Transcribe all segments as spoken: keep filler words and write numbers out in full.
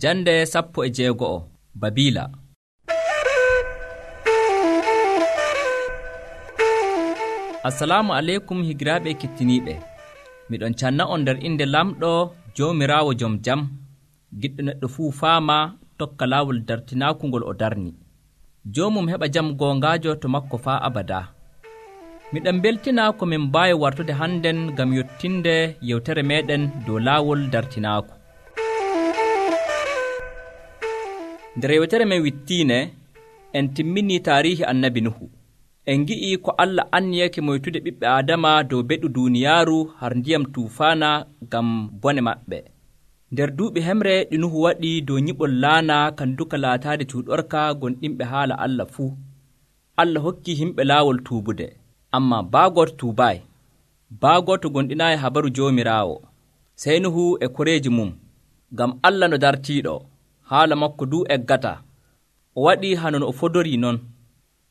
Jande sappo e jeego'o Babila. Assalamu aleykum higiraaɓe kettiniiɓe. Miɗon canna on nder inde lamɗo Joomiraawo jom jam, giɗɗo neɗɗo fuu faama tokka laawol dartinaaku ngol o darni. Joomum heɓa jam goongaajo to makko faa abada. Miɗon beltina ko min mbaawi wartude hannden ngam yottinde yewtere meeɗen dow laawol dartinaaku. Nder yewtere men wittiine, en timminii taariihi annabi Nuhu. En ngi'ii ko Allah anniyake moytude ɓiɓɓe Aadama dow beɗu duuniyaaru har ndiyam tuufaana ngam bone maɓɓe. Nder duuɓi hemre ɗi Nuhu waɗi dow nyiɓol laana kan duka laataade cuuɗorka gonɗinɓe haala Allah fuu. Allah hokkii himɓe laawol tuubude, ammaa baagoto tuubaayi. Baagoto gonɗinaayi habaru Joomiraawo. Sey Nuhu e koreeji mum, ngam Allah no dartiiɗo, haala makko duu eggata. O waɗii hano no o fodorii non.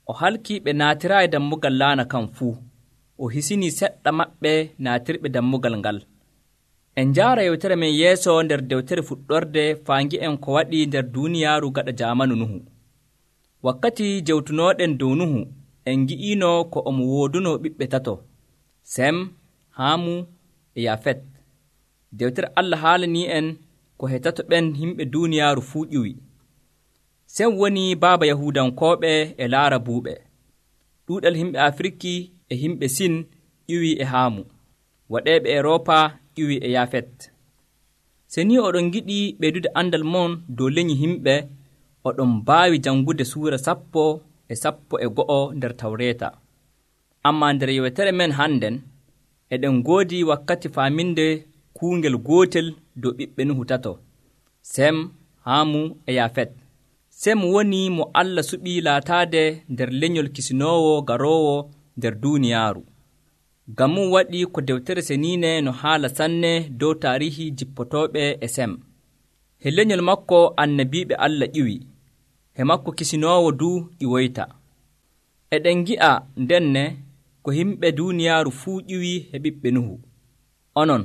O halkii ɓe naatiraayi dammugal laana kan fuu. O hisinii seɗɗa maɓɓe naatirɓe dammugal ngal. En njaara yewtere men yeeso nder dewtere fuɗɗorde faa ngi'en ko waɗi nder duuniyaaru gaɗa jaamanu Nuhu. Wakkati jewtunooɗen dow Nuhu, en ngi'iino ko omo woodunoo ɓiɓɓe tato, Sem, Haamu e Yafet. Dewtere Allah haalanii en ko he tato ɓen himɓe duuniyaaru fuu ƴiwi. Sem woni baaba Yahuudankooɓe e Laarabuuɓe. Ɗuuɗal himɓe Afiriki e himɓe Sin ƴiwii e Haamu. Waɗeeɓe Eroopa ƴiwii e Yafet. Se ni oɗon giɗii ɓeydude andal mon dow leñi himɓe, oɗon mbaawi jangude suura sappo e sappo e go'o nder Tawreeta. Ammaa nder yewtere men hannden, eɗen ngoodi wakkati faaminde kuungel gootel dow ɓiɓɓe Nuhu tato, Sem, Haamu e Yafet. Sem woni mo Allah suɓii laataade nder lenyol kisinoowo garoowo nder duuniyaaru. Ngam mum waɗi ko dewtere seniine no haala sanne dow taariihi jippotooɓe e Sem. He lenyol makko annabiiɓe Allah ƴiwi, he makko kisinoowo duu ƴiwoyta. Eɗen ngi'a ndenne ko himɓe duuniyaaru fuu ƴiwi he ɓiɓɓe Nuhu. Onon,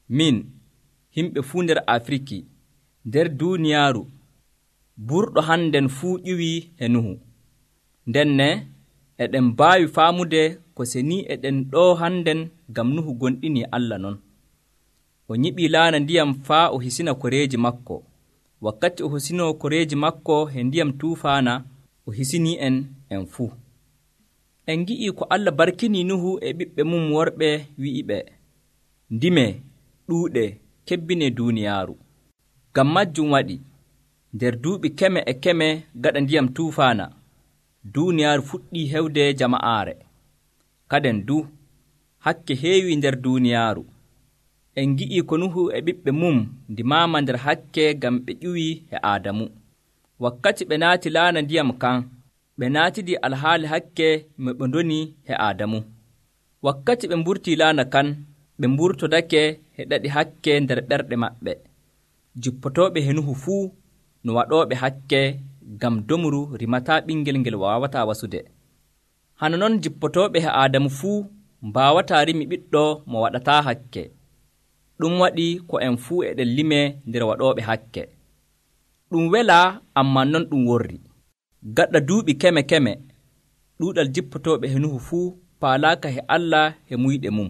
min, himɓe fuu nder Afiriki, nder duuniyaaru, burɗo hannden fuu ƴiwii e Nuhu. Ndenne eɗen mbaawi faamude ko senii eɗen ɗo hannden ngam Nuhu gonɗinii Allah non. O nyiɓii laana ndiyam faa o hisina koreeji makko. Wakkati o hisinoo koreeji makko he ndiyam tuufaana, o hisinii en en fuu. En ngi'ii ko Allah barkinii Nuhu e ɓiɓɓe mum worɓe wi'iɓe, ndimee, ɗuuɗe, kebbinee duuniyaaru. Ngam majjum waɗi, nder duuɓi keme e keme gaɗa ndiyam tuufaana, duuniyaaru fuɗɗii hewde jama'aare. Kaden du, hakke heewii nder duuniyaaru. En ngi'ii ko Nuhu e ɓiɓɓe mum ndimaama nder hakke ngam ɓe ƴiwii e Aadamu. Wakkati ɓe naati laana ndiyam kan, ɓe naatidii alhaali hakke mo ɓe ndoni e Aadamu. Wakkati ɓe mburtii laana kan, ɓe mburtodake e ɗaɗi hakke nder ɓerɗe maɓɓe. Jippotooɓe he Nuhu fuu no waɗooɓe hakke ngam domru rimataa ɓingel ngel waawataa wasude. Hano non jippotooɓe he Aadamu fuu mbaawataa rimi ɓiɗɗo mo waɗataa hakke. Ɗum waɗi ko en fuu eɗen limee nder waɗooɓe hakke. Ɗum welaa, ammaa non ɗum worri. Gaɗa duuɓi keme keme, ɗuuɗal jippotooɓe he Nuhu fuu paalaaka he Allah he muyɗe mum.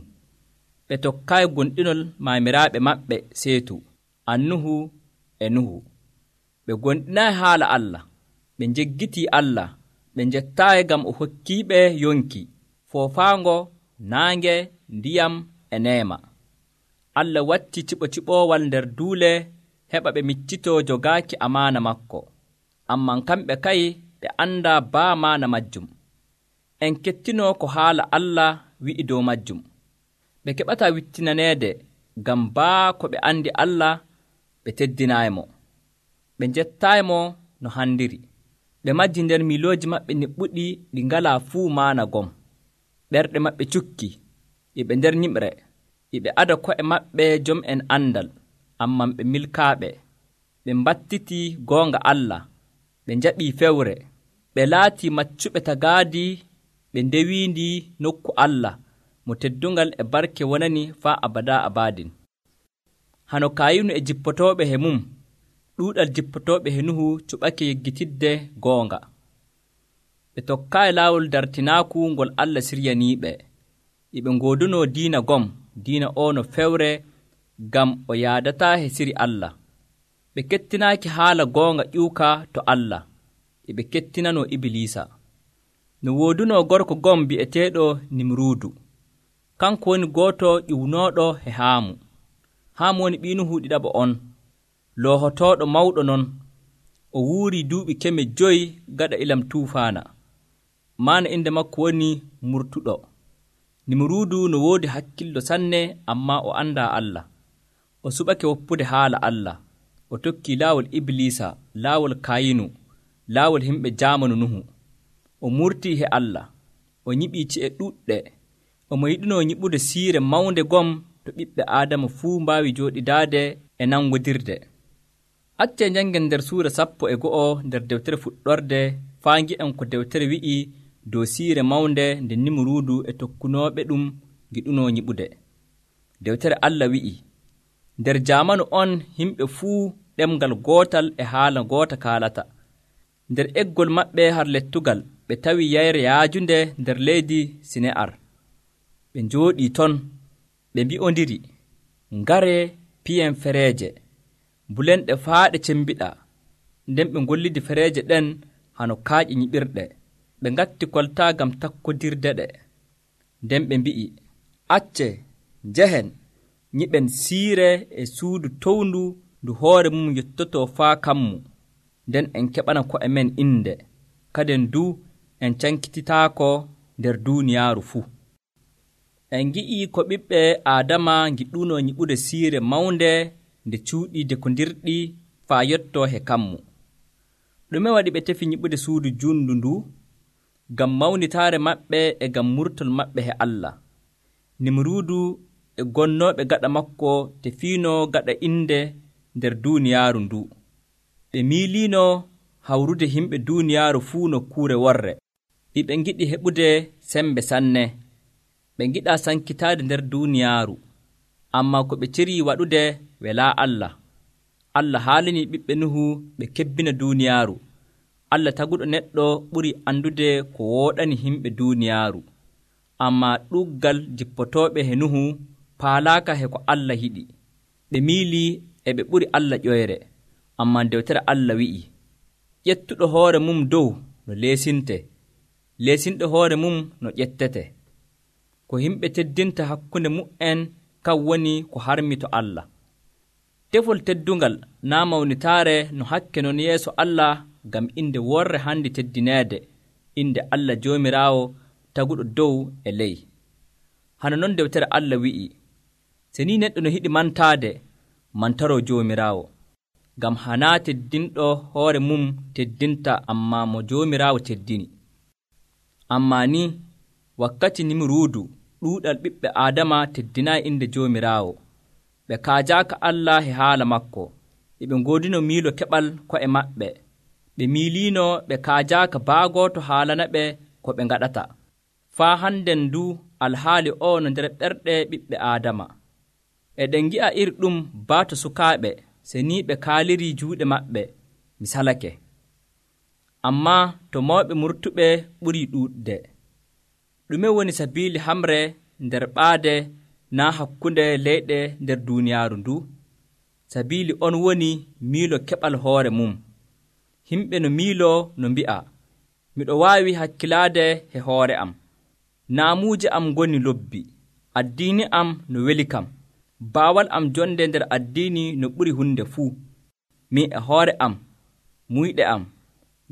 Ɓe tokkaayi gonɗinol maamiraaɓe maɓɓe Seetu, Annuhu e Nuhu. Ɓe gonɗinaayi haala Allah, ɓe njeggitii Allah, ɓe njettaayi ngam o hokkiiɓe yonki, foofaango, naange, ndiyam e neema. Allah watti ciɓo-ciɓoowal nder duule heɓa ɓe miccitoo jogaaki amaana makko. Ammaa kamɓe kay ɓe anndaa baa maana majjum. En kettinoo ko haala Allah wi'i dow majjum. Ɓe keɓataa wittinaneede ngam baa ko ɓe anndi Allah ɓe teddinaayimo. Ɓe njettaayimo no handiri. Ɓe majji nder milooji maɓɓe niɓɓuɗi ɗi ngalaa fuu maana gom. Ɓerɗe maɓɓe cukki, iɓe nder nyimre, iɓe ada ko'e maɓɓe jom en andal, amman ɓe milkaaɓe. Ɓe mbattitii goonga Allah, ɓe njaɓii fewre, ɓe laatii maccuɓe tagaadi, ɓe ndewiindi nokku Allah, mo teddungal e barke wonani faa abada abadin. Hano Kayinu e jippotooɓe he mum, ɗuuɗal jippotooɓe he Nuhu cuɓake yeggitidde goonga. Ɓe tokkaayi laawol dartinaaku ngol Allah siryaniiɓe. E ɓe ngoodunoo diina gom, diina oo no fewre ngam o yaadataa he siri Allah. Ɓe kettinaaki haala goonga ƴuuka to Allah, e ɓe kettinanoo Ibliisa. No woodunoo gorko gom bi'eteeɗo Nimruudu. Kanko woni gooto ƴiwnooɗo he Haamu. Haamu woni ɓii Nuhu ɗiɗaɓo on, loohotooɗo mawɗo non. O wuurii duuɓi keme joyi gaɗa ilam tuufaana. Maana inde makko woni Murtuɗo. Nimruudu no woodi hakkillo sanne, ammaa o anndaa Allah. O suɓake woppude haala Allah. O tokkii laawol Ibliisa, laawol Kayinu, laawol himɓe jaamanu Nuhu. O murtii he Allah. O nyiɓii ci'e ɗuɗɗe. Omo yiɗinoo nyiɓude siire mawnde gom to ɓiɓɓe Aadama fuu mbaawi jooɗidaade e nangodirde. Accee njanngen nder suura sappo e go'o nder dewtere fuɗɗorde faa ngi'en ko dewtere wi'i dow siire mawnde nde Nimruudu e tokkunooɓe ɗum ngiɗunoo nyiɓude. Dewtere Allah wi'i, nder jaamanu on yimɓe fuu ɗemngal gootal e haala goota kaalata. Nder eggol maɓɓe har lettugal ɓe tawi yayre yaajunde nder leydi Sine'ar. Ɓe njooɗii ton, ɓe mbi'ondiri, ngaree piyen fereeje, bulenɗe faa ɗe cembiɗa. Nden ɓe ngollidi fereeje ɗen hano kaaƴe nyiɓirɗe. Ɓe ngatti koltaa ngam takkodirde ɗe. Nden ɓe mbi'i, acce, njehen, nyiɓen siire e suudu towndu ndu hoore mum yettotoo faa kammu. Nden en keɓana ko'e men innde, kaden du en cankititaako nder duuniyaaru fuu. En ngi'ii ko ɓiɓɓe Aadama ngiɗunoo nyiɓude siire mawnde nde cuuɗii dekondirɗi faa yottoo he kammu. Ɗume waɗi ɓe tefi nyiɓude suudu juundu ndu? Ngam mawnitaare maɓɓe e ngam murtol maɓɓe he Allah. Nimruudu e gonnooɓe gaɗa makko tefiinoo gaɗa innde nder duuniyaaru ndu. Ɓe miiliinoo hawrude himɓe duuniyaaru fuu nokkuure worre. Ɓe ngiɗi heɓude sembe sanne. Ɓe ngiɗaa sankitaade nder duuniyaaru. Ammaa ko ɓe cirii waɗude welaa Allah. Allah haalanii ɓiɓɓe Nuhu ɓe kebbina duuniyaaru. Allah taguɗo neɗɗo ɓuri andude ko wooɗani himɓe duuniyaaru. Ammaa ɗuggal jippotooɓe he Nuhu paalaaka he ko Allah yiɗi. Ɓe miilii e ɓe ɓuri Allah ƴoyre. Ammaa dewtere Allah wi'i, ƴettuɗo hoore mum dow no leesinte, leesinɗo hoore mum no ƴettete. Ko yimɓe teddinta hakkunde mu'en kan woni ko harmi to Allah. Tefol teddungal naa mawnitaare no hakke non yeeso Allah ngam inde worre handi teddineede, inde Allah Joomiraawo taguɗo dow e ley. Hano non dewtere Allah wi'i, se ni neɗɗo no hiɗi mantaade, mantaroo Joomiraawo. Ngam hanaa teddinɗo hoore mum teddinta, ammaa mo Joomiraawo teddini. Ammaa ni wakkati Nimruudu ɗuuɗal ɓiɓɓe Aadama teddinaayi inde Joomiraawo. Ɓe kaajaaka Allah he haala makko, e ɓe ngoodino miilo keɓal ko'e maɓɓe. Ɓe miiliino ɓe kaajaaka baagoo to haalana ɓe ko ɓe ngaɗata. Faa hannden du alhaali o no nder ɓerɗe ɓiɓɓe Aadama. Eɗen ngi'a iri ɗum baato sukaaɓe, se ni ɓe kaalirii juuɗe maɓɓe, mi salake. Ammaa to mawɓe murtuɓe ɓurii ɗuuɗde. Ɗume woni sabiili hamre nder ɓaade naa hakkunde leyɗe nder duuniyaaru ndu? Sabiili on woni miilo keɓal hoore mum. Himɓe no miiloo no mbi'a, miɗo waawi hakkilaade he hoore am. Naamuuje am ngoni lobbi, addiini am no weli kam. Baawal am jonde nder addiini no ɓuri hunde fuu. Min e hoore am, muyɗe am,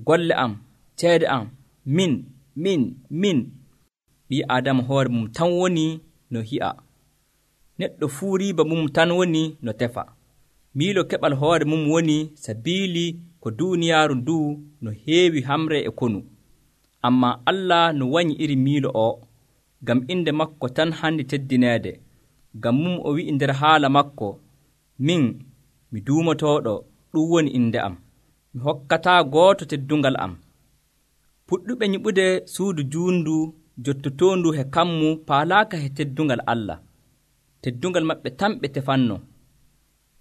golle am, ceede am, min, min, min. Ɓii Aadama hoore mum tan woni no hi'a. Neɗɗo fuu riiba mum tan woni no tefa. Miilo keɓal hoore mum woni sabiili ko duuniyaaru ndu no heewi hamre e konu. Ammaa Allah no wañi iri miilo o, ngam inde makko tan handi teddineede. Ngam mum o wi'i nder haala makko, min mi duumotooɗo, ɗum woni inde am. Mi hokkataa gooto teddungal am. Puɗɗuɓe nyiɓude suudu juundu jottotoondu he kammu paalaaka he teddungal Allah. Teddungal maɓɓe tan ɓe tefanno.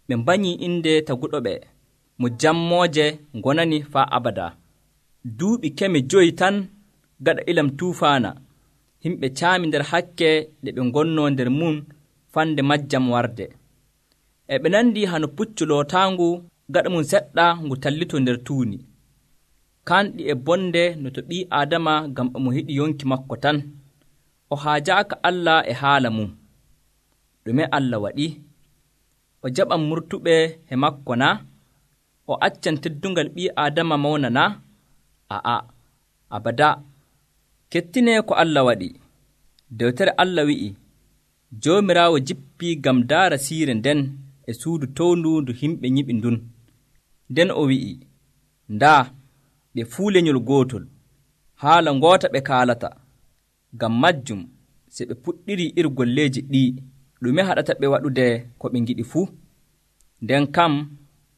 Ɓe mbanyii inde taguɗo ɓe. mo jammooje gonani faa abada. Duuɓi keme joyi tan gaɗa ilam tuufaana, himɓe caami nder hakke ɗe ɓe ngonnoo nder mum fande majjam warde. E ɓe nandi hano puccu lootaangu gaɗa mum seɗɗa ngu tallitoo nder tuuni. Kanɗi e bonde no to ɓii Aadama ngam omo yiɗi yonki makko tan. O haajaaka Allah e haala mum. Ɗume Allah waɗi? O jaɓan murtuɓe he makko na? O accan teddungal ɓii Aadama mawna na? A'a, abada. Kettinee ko Allah waɗi. Dewtere Allah wi'i, Joomiraawo jippii ngam daara siire nden e suudu towndu ndu himɓe nyiɓi ndun. Nden o wi'i, ndaa, ɓe fuu lenyol gootol, haala ngoota ɓe kaalata. Ngam majjum, se ɓe puɗɗirii iri golleeji ɗii, ɗume haɗata ɓe waɗude ko ɓe ngiɗi fuu? Nden kam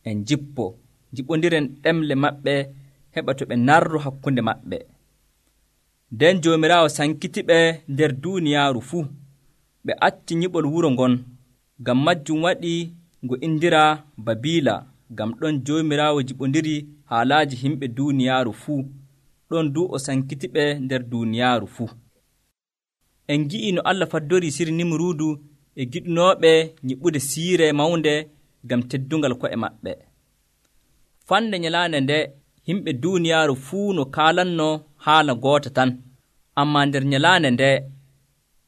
en jippo, jiɓondiren ɗemle maɓɓe heɓa to ɓe narru hakkunde maɓɓe. Nden Joomiraawo sankitiɓe nder duuniyaaru fuu, ɓe acci nyiɓol wuro ngon. Ngam majjum waɗi ngo indiraa Babiila, ngam ɗon Joomiraawo jiɓondiri haalaaji himɓe duuniyaaru fuu, ɗon du o sankitiɓe nder duuniyaaru fuu. En ngi'ii no Allah faddorii siri Nimruudu e giɗunooɓe nyiɓude siire mawnde ngam teddungal ko'e maɓɓe. Fande nyalaande nde himɓe duuniyaaru fuu no kaalannoo haala goota tan, ammaa nder nyalaande nde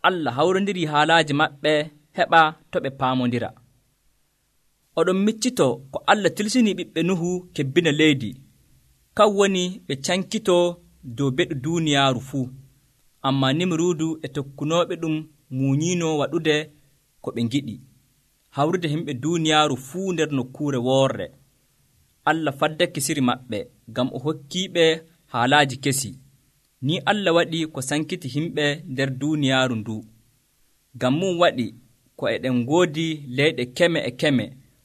Allah hawrondirii haalaaji maɓɓe heɓa to ɓe paamondira. Oɗon miccitoo ko Allah tilsinii ɓiɓɓe Nuhu kebbina leydi, kan woni ɓe cankitoo dow beɗu duuniyaaru fuu, ammaa Nimruudu e tokkunooɓe ɗum muuñiinoo waɗude ko ɓe ngiɗi, hawrude himɓe duuniyaaru fuu nder nokkuure woorre. Allah faddake siri maɓɓe, ngam o hokkiiɓe haalaaji kesi. Ni Allah waɗi ko sankiti himɓe nder duuniyaaru ndu. Ngam mum waɗi ko eɗen ngoodi leyɗe keme e keme,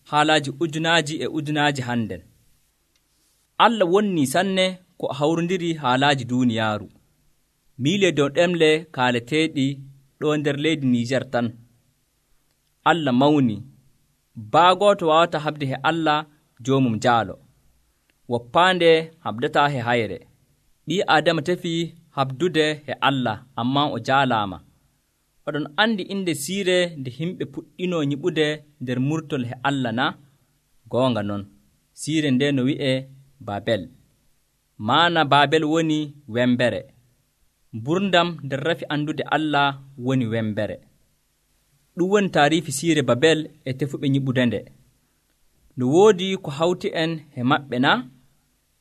haalaaji ujunaaji e ujunaaji hannden. Allah wonnii sanne ko hawrondiri haalaaji duuniyaaru. Miile dow ɗemle kaaleteeɗi ɗo nder leydi Niijar tan. Allah mawni. Baagooto waawata haɓde he Allah joomum jaalo. Woppaande haɓdataa he hayre. Ɓii Aadama tefii haɓdude he Allah, ammaa o jaalaama. Oɗon andi inde siire nde himɓe puɗɗinoo nyiɓude nder murtol he Allah na? Goonga non, siire nde no wi'ee Babel. Maana Babel woni wembere. Mburdam nder rafi andude Allah woni wembere. Ɗum woni taariifi siire Babel e tefuɓe nyiɓude nde. No woodi ko hawti en he maɓɓe na?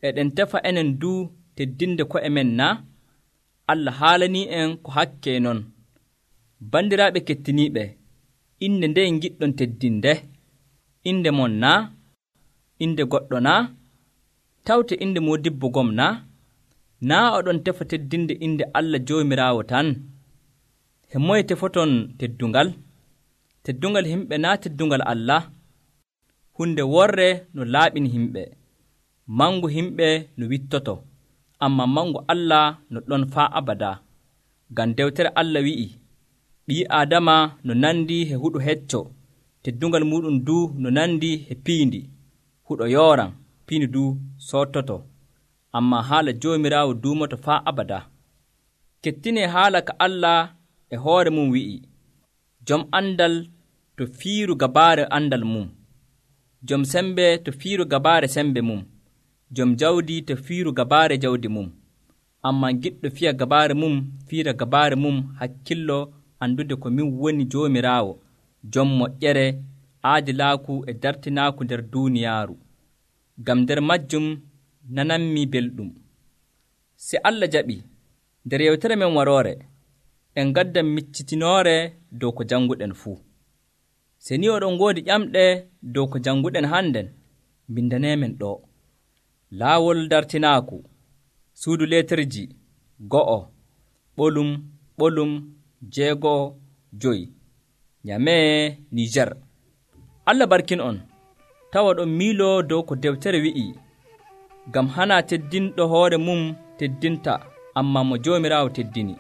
Eɗen tefa enen du teddinde ko'e men na? Allah haalanii en ko hakke non. Bandiraaɓe kettiniiɓe, inde nde ngiɗɗon teddinde? Inde mon na? Inde goɗɗo na? Tawte inde moodibbo gom na? Naa oɗon tefa teddinde inde Allah Joomiraawo tan? He moye tefoton teddungal? Teddungal himɓe naa teddungal Allah? Hunde worre no laaɓini himɓe, mangu himɓe no wittoto, ammaa mangu Allah no ɗon faa abada. Ngam dewtere Allah wi'i, ɓii Aadama no nandi he huɗo hecco, teddungal muɗum du no nandi he piindi, huɗo yooran, piindi du sottoto, ammaa haala Joomiraawo duumoto faa abada. Kettinee haala ka Allah e hoore mum wi'i, jom andal to fiiru gabaare andal mum, jom sembe to fiiru gabaare sembe mum, jom jawdi to fiiru gabaare jawdi mum. Ammaa giɗɗo fiya gabaare mum fiira gabaare mum hakkillo andude ko min woni Joomiraawo, jom moƴƴere, aadilaaku e dartinaaku nder duuniyaaru. Ngam nder majjum nananmi belɗum. Se Allah jaɓi, nder yewtere men waroore, en gaddan miccitinoore dow ko jannguɗen fuu. Se ni oɗon ngoodi ƴamɗe dow ko jannguɗen hannden, mbindaneemen ɗo. Laawol dartinaaku, suudu leeterji, go'o, ɓolum, ɓolum, jeego'o, joyi, Nyamee, Niijar. Allah barkin on, tawa ɗon miiloo dow ko dewtere wi'i, ngam hana teddinɗo hoore mum teddinta, ammaa mo Joomiraawo teddini.